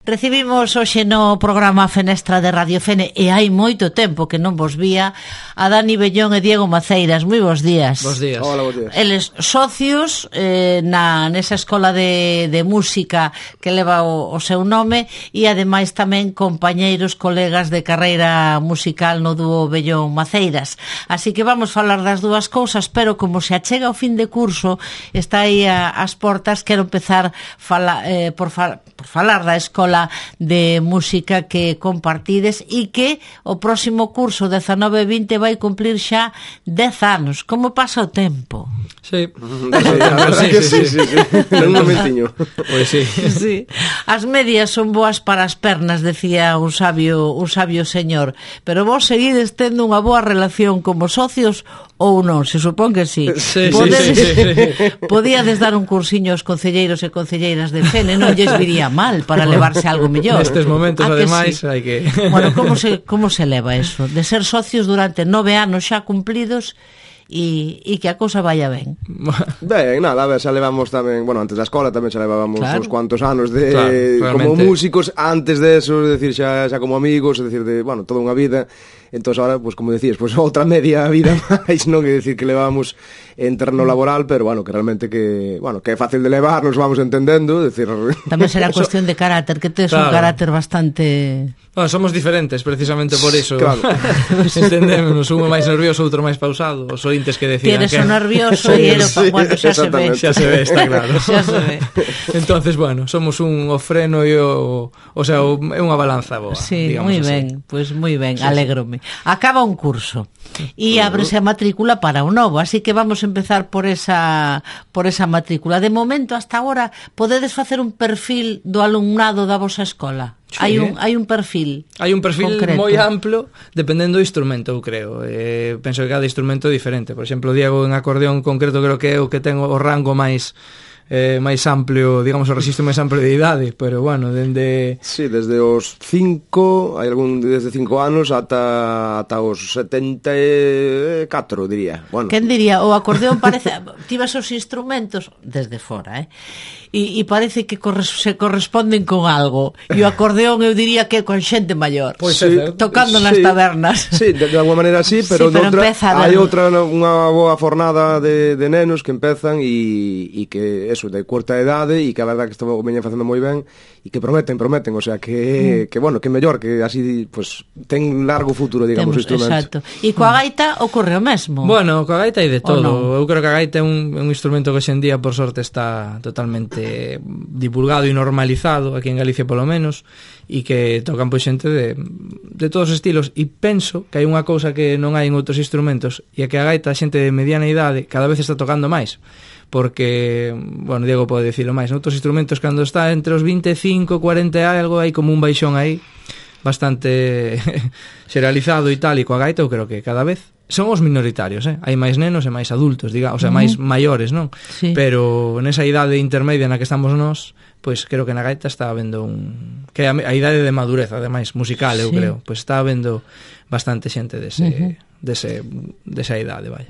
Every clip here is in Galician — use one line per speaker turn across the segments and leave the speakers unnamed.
Recibimos hoxe no programa Fenestra de Radio Fene, e hai moito tempo que non vos vía, a Dani Bellón e Diego Maceiras. Moi bons días.
Bos días.
Hola, bos días.
Eles socios nesa escola de música que leva o seu nome, e ademais tamén compañeiros, colegas de carreira musical no dúo Bellón Maceiras. Así que vamos falar das dúas cousas, pero como se achega o fin de curso, está aí ás portas, quero empezar por falar da escola de música que compartides e que o próximo curso 19-20 vai cumplir xa 10 anos. Como pasa o tempo?
Sí.
Sí. En un momentiño.
Pois sí.
Sí. As medias son boas para as pernas, decía un sabio señor, pero vos seguides tendo unha boa relación como socios ou non? Se supón que sí. Podíades dar un cursiño aos concelleiros e concelleiras de Fene, non lles viría mal para levarse algo mellor.
Nestes momentos, ademais,
sí?
hai que...
Bueno, como se leva eso? De ser socios durante 9 anos xa cumplidos e que a cousa vaya ben.
Ben, nada, a ver, xa levamos tamén, bueno, antes da escola tamén xa levábamos uns cuantos anos de como músicos, antes de eso, é dicir, xa como amigos, é dicir, de, bueno, toda unha vida. Entón, ahora, pues, como decías, pues, outra media vida máis, non? É dicir, que levamos en terreno laboral, pero, bueno, que realmente que é fácil de levar, nos vamos entendendo, é dicir...
Tamén será cuestión de carácter, que tes un carácter bastante...
Bueno, somos diferentes, precisamente por iso.
Claro.
Entendémonos, un máis nervioso, outro máis pausado, os ointes que decidan
que... Eres un nervioso e ero... Bueno, xa se ve.
Xa se ve, está claro.
Xa se ve.
Entonces, bueno, somos un freno e o sea, é unha balanza boa.
Sí, moi ben, pois moi ben, alégrome. Acaba un curso e ábrese a matrícula para o novo, así que vamos a empezar por esa matrícula. De momento, hasta agora, podedes facer un perfil do alumnado da vosa escola? Sí. Hai un perfil.
Hai un perfil
concreto,
moi amplo, dependendo do instrumento, eu creo. Penso que cada instrumento é diferente. Por exemplo, Diego en acordeón concreto creo que é o que ten o rango máis amplio, digamos, o registro máis amplio de idade, pero bueno, dende...
Sí, desde os 5, hai algún desde 5 anos ata os 74, diría. Bueno.
Quen diría, o acordeón parece... Tivas os instrumentos desde fora, e parece que se corresponden con algo, e o acordeón eu diría que con xente maior,
pois sí,
tocando nas tabernas.
Sí, de alguma maneira sí, pero, hai outra, unha boa fornada de nenos que empezan e que eso, de curta idade, e que a verdade que estamos veñen facendo moi ben e que prometen, o sea, que bueno, que mellor, que así pues ten largo futuro, digamos, o instrumento.
Exacto. E coa gaita ocorre o mesmo?
Bueno, coa gaita hai de todo. Eu creo que a gaita é un instrumento que hoxendía por sorte está totalmente divulgado e normalizado aquí en Galicia polo menos, e que tocan pois xente de todos os estilos, e penso que hai unha cousa que non hai en outros instrumentos, e é que a gaita, a xente de mediana idade cada vez está tocando máis, porque, bueno, Diego pode dicilo máis, noutros instrumentos cando está entre os 25, 40 e algo, hai como un baixón aí bastante xeralizado e tal, e coa gaita eu creo que cada vez son os minoritarios, hai máis nenos e máis adultos, diga, o sea, máis maiores, non?
Sí.
Pero nesa idade intermedia na que estamos nós, pois creo que na gaita está habendo que a idade de madurez, ademais, musical, eu creo, pois está habendo bastante xente desa idade, vai.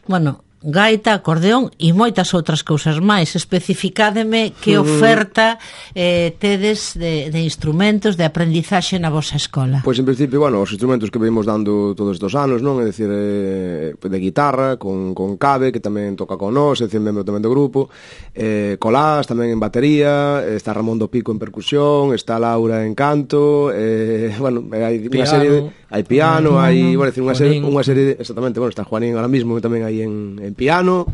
Bueno, gaita, acordeón e moitas outras cousas máis. Especificádeme que oferta tedes de instrumentos de aprendizaxe na vosa escola.
Pois en principio, bueno, os instrumentos que vimos dando todos estes anos, non? É dicir, de guitarra, con Cabe, que tamén toca con nós, é dicir, membro tamén do grupo, Colás tamén en batería, está Ramón do Pico en percusión, está Laura en canto, bueno, hai unha serie, hai piano, hai, bueno, decir, unha serie, exactamente, bueno, está Juanín ahora mismo tamén aí en piano,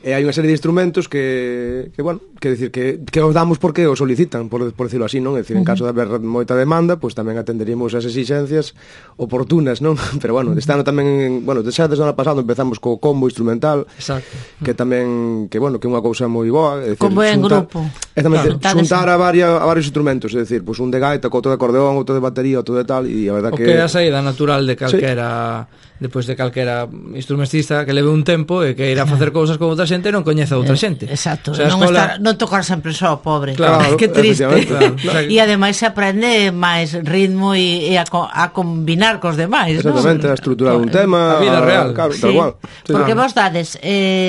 e hai unha serie de instrumentos que bueno, que decir que os damos porque os solicitan, por decirlo así, non? É dicir, en caso de haber moita demanda, pois tamén atenderíamos as exigencias oportunas, non? Pero bueno, este ano tamén, bueno, xa desde o ano pasado empezamos co combo instrumental.
Exacto.
Que tamén, que bueno, que é unha cousa moi boa, é dicir,
combo en grupo.
Xuntar a varios instrumentos, é dicir, pois un de gaita, outro de acordeón, outro de batería, outro de tal, e a verdade que...
O que é a saída natural de calquera... Depois de calquera instrumentista que leve un tempo e que irá a facer cousas con outra xente e non coñece a outra xente.
Exacto,
o sea,
non tocar sempre só, pobre.
Claro,
que triste.
Claro.
E ademais se aprende máis ritmo e a combinar cos demais, non?
Exactamente, a estruturar un tema,
a vida real.
Claro,
sí,
tal cual.
Sí, porque vos dades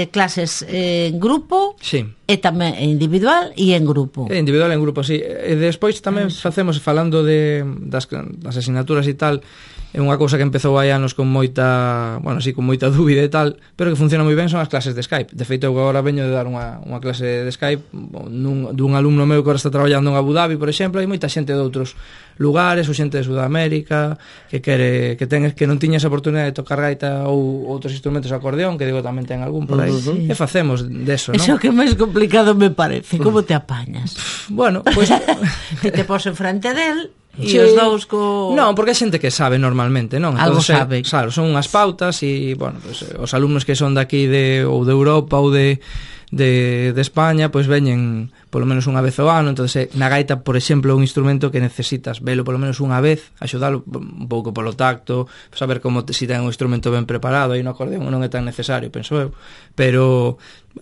clases en grupo.
Sí.
E tamén individual e en grupo.
Individual e en grupo, sí. E despois tamén facemos, falando das asignaturas e tal, é unha cousa que empezou hai anos con moita, bueno, sí, con moita dúbida e tal, pero que funciona moi ben son as clases de Skype. De feito, eu agora veño de dar unha clase de Skype dun alumno meu que agora está traballando en Abu Dhabi, por exemplo. Hai moita xente de outros lugares, ou xente de Sudamérica que non tiña esa oportunidade de tocar gaita ou outros instrumentos de acordeón, que digo tamén ten algún por aí. E facemos deso, non?
Eso que máis complicado me parece. Como te apañas?
Bueno, pois
que te pos en frente del e os dous co...
Non, porque hai xente que sabe normalmente, non?
Algo sabe.
Claro, son unhas pautas e, bueno, pues, os alumnos que son daqui ou de Europa ou de España, pois veñen polo menos unha vez ao ano. Entón, na gaita, por exemplo, un instrumento que necesitas velo polo menos unha vez, axudalo un pouco polo tacto, saber como si ten un instrumento ben preparado. Aí no acordeón non é tan necesario, penso eu, pero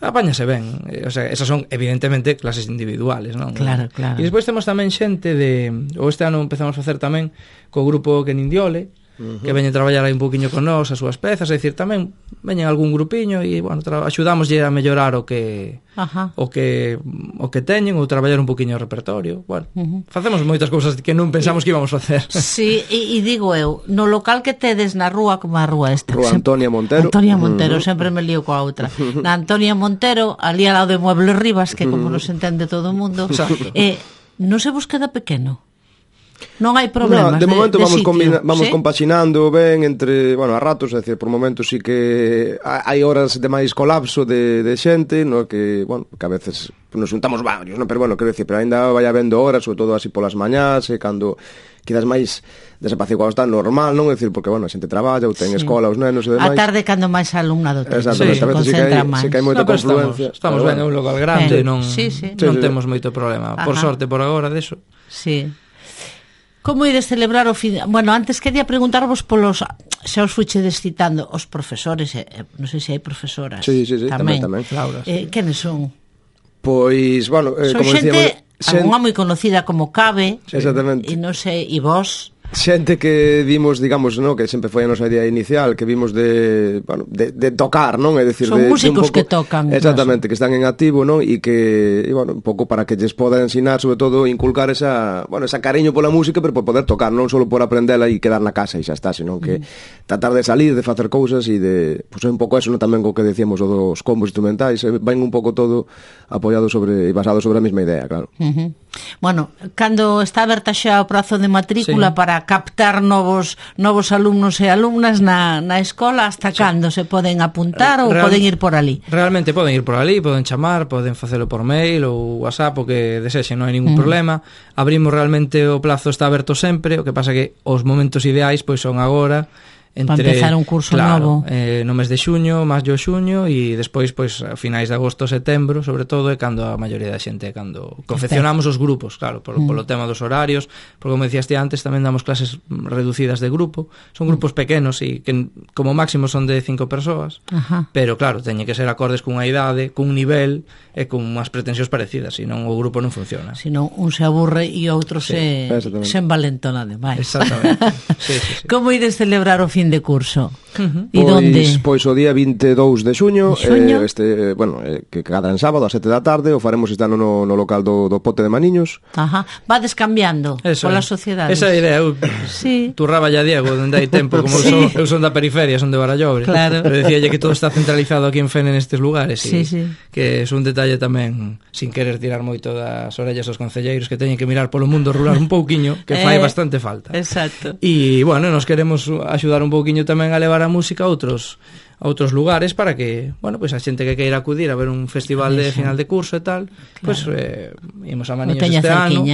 apáñase ben. O sea, esas son evidentemente clases individuales, non?
Claro.
E despois temos tamén xente ou este ano empezamos a facer tamén co grupo Kenindiole, que veñen traballar aí un poquinho con nós as súas pezas, é dicir, tamén veñen algún grupiño e, bueno, axudámoslle a mellorar o que teñen ou traballar un poquinho o repertorio. Bueno, facemos moitas cousas que non pensamos que íbamos a facer.
Sí, e digo eu, no local que tedes na rúa, como a rúa esta,
Rúa Antonia Montero.
Antonia Montero, sempre me lío coa outra. Na Antonia Montero, ali ao lado de Muebles Rivas, que como nos entende todo o mundo, non se vos queda pequeno? Non hai problemas
de momento vamos
¿sí?
compaxinando ben entre, bueno, a ratos, é dicir, por momentos sí que hai horas de máis colapso de xente, no que, bueno, que a veces nos juntamos varios, no, pero bueno, quero dicir, pero ainda vai habendo horas, sobre todo así polas mañás, e cando quedas máis desapaciguado está normal, non? É dicir, porque, bueno, a xente traballa ou ten escola, os nenos e demais.
A tarde cando máis alumnado ten,
exactamente, a veces sí que hai moita confluencia.
Estamos ben, é un local grande, non temos moito problema. Por sorte, por agora, deso.
Sí. Como ides celebrar o fin... Bueno, antes quería preguntarvos polos... Xa os fuichedes citando os profesores, non sei se hai profesoras.
Sí, tamén.
Laura, sí.
Quenes son?
Pois, bueno,
son
como
xente, algunha moi conocida como Cabe.
Exactamente.
E non sei, e vos...
Xente que vimos, digamos, no, que sempre foi a nosa idea inicial, que vimos de tocar, non? É dicir,
son músicos que tocan.
Exactamente, que están en activo, non? E que, bueno, un pouco para que lles poda ensinar, sobre todo, inculcar esa cariño pola música, pero por poder tocar, non só por aprendela e quedar na casa e xa está, senón que tratar de salir, de facer cousas e de, pois é un pouco eso, non? Tamén co que decíamos o dos combos instrumentais, ven un pouco todo apoiado sobre e basado sobre a mesma idea, claro.
Bueno, cando está aberta xa o prazo de matrícula para captar novos alumnos e alumnas na escola, hasta cando se poden apuntar ou poden ir por ali?
Realmente poden ir por ali, poden chamar, poden facelo por mail ou WhatsApp, o que desexen, non hai ningún problema. Abrimos realmente, o plazo está aberto sempre, o que pasa que os momentos ideais pois son agora,
para empezar un curso novo,
no mes de xuño, maio, xuño, e despois, pois, a finais de agosto, setembro, sobre todo, é cando a maioría da xente, cando confeccionamos os grupos, claro, polo tema dos horarios, porque, como decíaste antes, tamén damos clases reducidas de grupo, son grupos pequenos e que como máximo son de 5 persoas, pero, claro, teñen que ser acordes cunha idade, cun nivel e con unhas pretensións parecidas, senón o grupo non funciona.
Senón un se aburre e outro se envalentona demais.
Exactamente. Sí.
Como ides celebrar o fin de curso?
E onde? Pois o día 22 de xuño, que cada en sábado a 7 da tarde, o faremos este ano no local do Pote de Maniños.
Vades cambiando polas sociedades.
Esa idea, eu turraba ya Diego, onde hai tempo, como eu son da periferia, son de Barallobre.
Claro.
Pero decíalle que todo está centralizado aquí en Fene nestes lugares, que é un detalle tamén, sin querer tirar moito das orellas aos concelleiros, que teñen que mirar polo mundo rural un pouquiño, que fai bastante falta.
Exacto.
E, bueno, nos queremos axudar un pouquiño tamén a levar a música a outros lugares para que, bueno, pues a xente que queira acudir a ver un festival de final de curso e tal, pues imos a Maniños este ano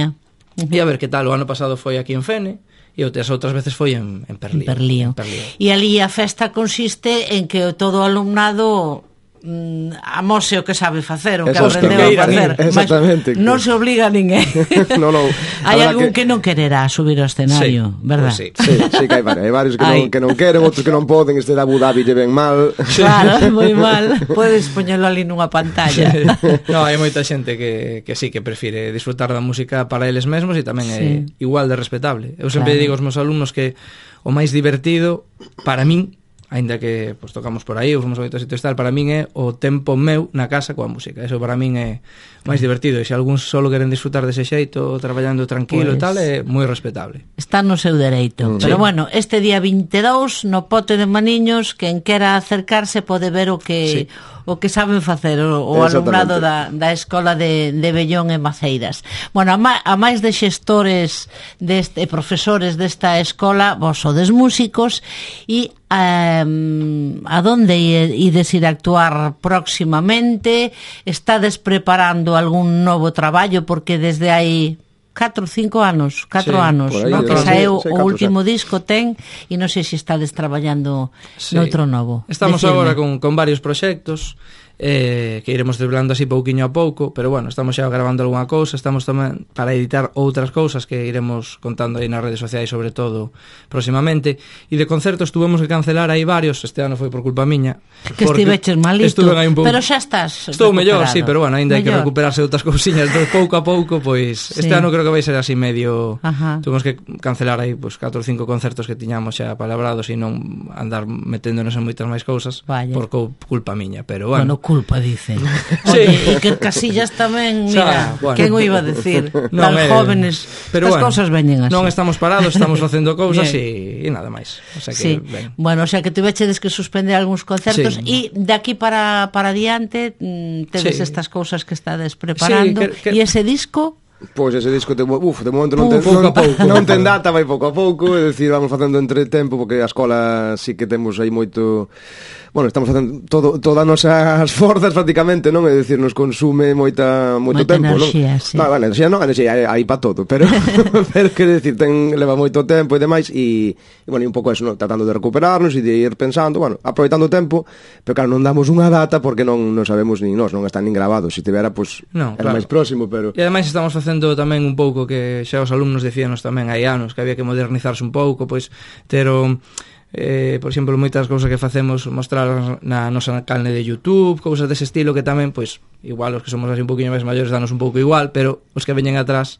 e a ver que tal. O ano pasado foi aquí en Fene e as outras veces foi en Perlío.
E ali a festa consiste en que todo o alumnado amose o que sabe facer, o que aprendeu a facer.
Exactamente.
Non se obliga a ninguén.
No.
Hai algún que non quererá subir ao escenario, verdad?
Sí, que hai varios que non queren, outros que non poden, este de Abu Dhabi lle ven mal.
Claro, moi mal. Podes poñelo ali nunha pantalla.
No, hai moita xente que sí, que prefire disfrutar da música para eles mesmos e tamén é igual de respetable. Eu sempre digo aos meus alumnos que o máis divertido para min aínda que pues, tocamos por aí, ou fomos a moitos sitios tal, para min é o tempo meu na casa coa música. Eso para min é máis divertido, e se algún solo queren disfrutar dese xeito, traballando tranquilo e tal, é moi respetable.
Está no seu dereito. Pero bueno, este día 22 no Pote de Maniños, quen quera acercarse pode ver o que saben facer o alumnado da Escola de Bellón e Maceiras. Bueno, a máis de xestores e profesores desta escola, vos sodes músicos, e a donde ides ir a actuar próximamente? Estades preparando algún novo traballo? Porque desde hai 4 ou 5 anos, 4 anos,
aí,
no? Que saeu o último
4,
disco ten, e non sei se estades traballando noutro novo.
Estamos agora con varios proxectos que iremos desvelando así pouquiño a pouco, pero bueno, estamos xa gravando algunha cousa, estamos tamén para editar outras cousas que iremos contando aí nas redes sociais, sobre todo próximamente. E de concertos tuvemos que cancelar aí varios, este ano foi por culpa miña,
que estiveches malito, pero xa estás
estou mellor, sí, pero bueno, ainda hai que recuperarse outras cousiñas, entón pouco a pouco, pois este ano creo que vai ser así medio. Tuvemos que cancelar aí pues 4 ou 5 concertos que tiñamos xa palabrados e non andar meténdonos en moitas máis cousas por culpa miña, pero bueno,
culpa, dicen. Oye, e que Casillas tamén, mira, quen o iba a decir? Tan jóvenes, as cousas veñen así.
Non estamos parados, estamos facendo cousas e nada máis. O sea que,
bueno, o sea que tuvechedes que suspender algúns concertos e de aquí para adiante tedes estas cousas que estades preparando e ese disco.
Pois ese disco de momento non ten data, vai pouco a pouco, é dicir, vamos facendo entre tempo, porque a escola sí que temos aí moito. Bueno, estamos facendo todas as nosas forzas prácticamente, non? É dicir, nos consume moito tempo,
enerxía,
non?
Sí.
No, vale, enerxía hai para todo, pero quero dicir, leva moito tempo e demais, e bueno, e un pouco eso, non? Tratando de recuperarnos e de ir pensando, bueno, aproveitando o tempo, pero claro, non damos unha data porque non sabemos nin nós, non están nin grabados, se tivera, pues, era máis próximo, pero.
E ademais estamos facendo tamén un pouco que xa os alumnos decíanos tamén hai anos que había que modernizarse un pouco, pois ter o por exemplo, moitas cousas que facemos mostrar na nosa canle de YouTube, cousas dese estilo que tamén, pois, igual os que somos así un poquinho máis maiores danos un pouco igual, pero os que veñen atrás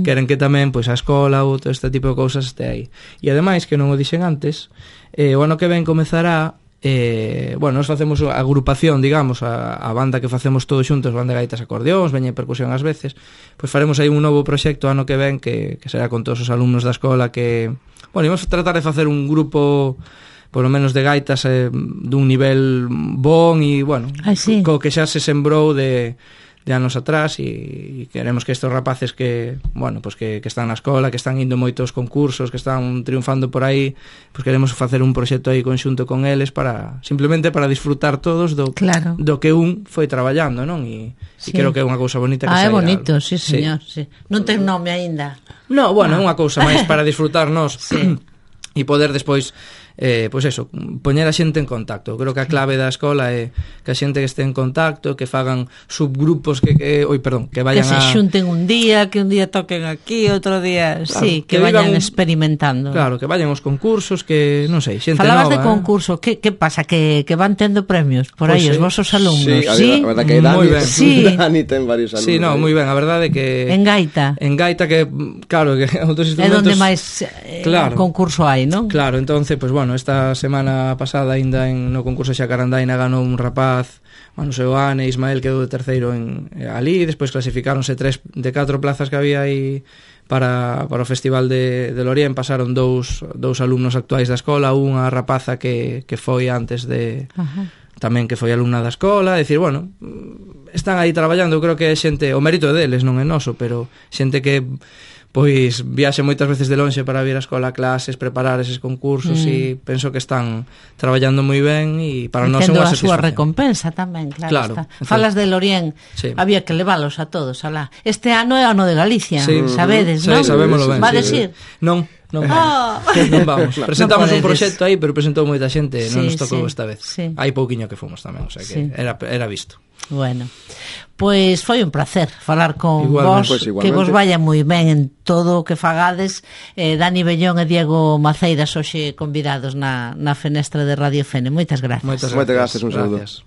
queren que tamén, pois, a escola ou todo este tipo de cousas este aí. E ademais, que non o dixen antes, o ano que ven comezará bueno, nos facemos a agrupación, digamos, a banda que facemos todos xuntos, banda de gaitas acordeóns, veña percusión ás veces, pois faremos aí un novo proxecto ano que ven que será con todos os alumnos da escola que, bueno, imos tratar de facer un grupo polo menos de gaitas dun nivel bon e, bueno, co que xa se sembrou de anos atrás e queremos que estes rapaces que, bueno, pues que están na escola, que están indo moitos concursos, que están triunfando por aí, pues queremos facer un proxecto aí conxunto con eles para simplemente para disfrutar todos do que un foi traballando, non? E creo que é unha cousa bonita que
é bonito, sí, señor, sí. Non ten nome aínda.
No, bueno, é unha cousa máis para disfrutarnos e poder despois pois eso, poñer a xente en contacto. Creo que a clave da escola é que a xente que este en contacto, que fagan subgrupos que vayan
que se xunten un día, que un día toquen aquí, outro día, claro, que vayan experimentando.
Claro, que vayan aos concursos, que non sei, xente
Falabas
nova.
De concurso, que pasa? Que van tendo premios por aí os vosos alumnos,
sí? A verdade que Dani ten varios alumnos.
Sí, no, moi ben, a verdade que
en gaita
que claro, que outros instrumentos
é onde máis concurso hai, non?
Claro, entonces, pues bueno, esta semana pasada aínda no concurso Xacarandaina ganou un rapaz, Manu Seoane, Ismael quedou de terceiro ali, despois clasificáronse 3 de 4 plazas que había aí para o Festival de Lorien, pasaron dous alumnos actuais da escola, unha rapaza que foi antes de tamén que foi alumna da escola, é dicir, bueno, están aí traballando, creo que é xente, o mérito deles non é noso, pero xente que pois viaxe moitas veces de lonxe para vir á escola a clases, preparar eses concursos e penso que están traballando moi ben e para nós é unha satisfacción.
Tendo a súa recompensa tamén, claro está. Falas de Lorien, había que leválos a todos alá. Este ano é ano de Galicia, sabedes, non?
Sí, sabémolo ben.
Vades ir?
Non vamos. Presentamos un proxecto aí, pero presentou moita xente, non nos tocou esta vez. Hai pouquiño que fomos tamén, o sea que era visto.
Bueno, pois foi un placer falar con vos, que vos vaya moi ben en todo o que fagades. Dani Bellón e Diego Maceiras hoxe convidados na fenestra de Radio Fene. Moitas gracias.
Moitas gracias, un saludo.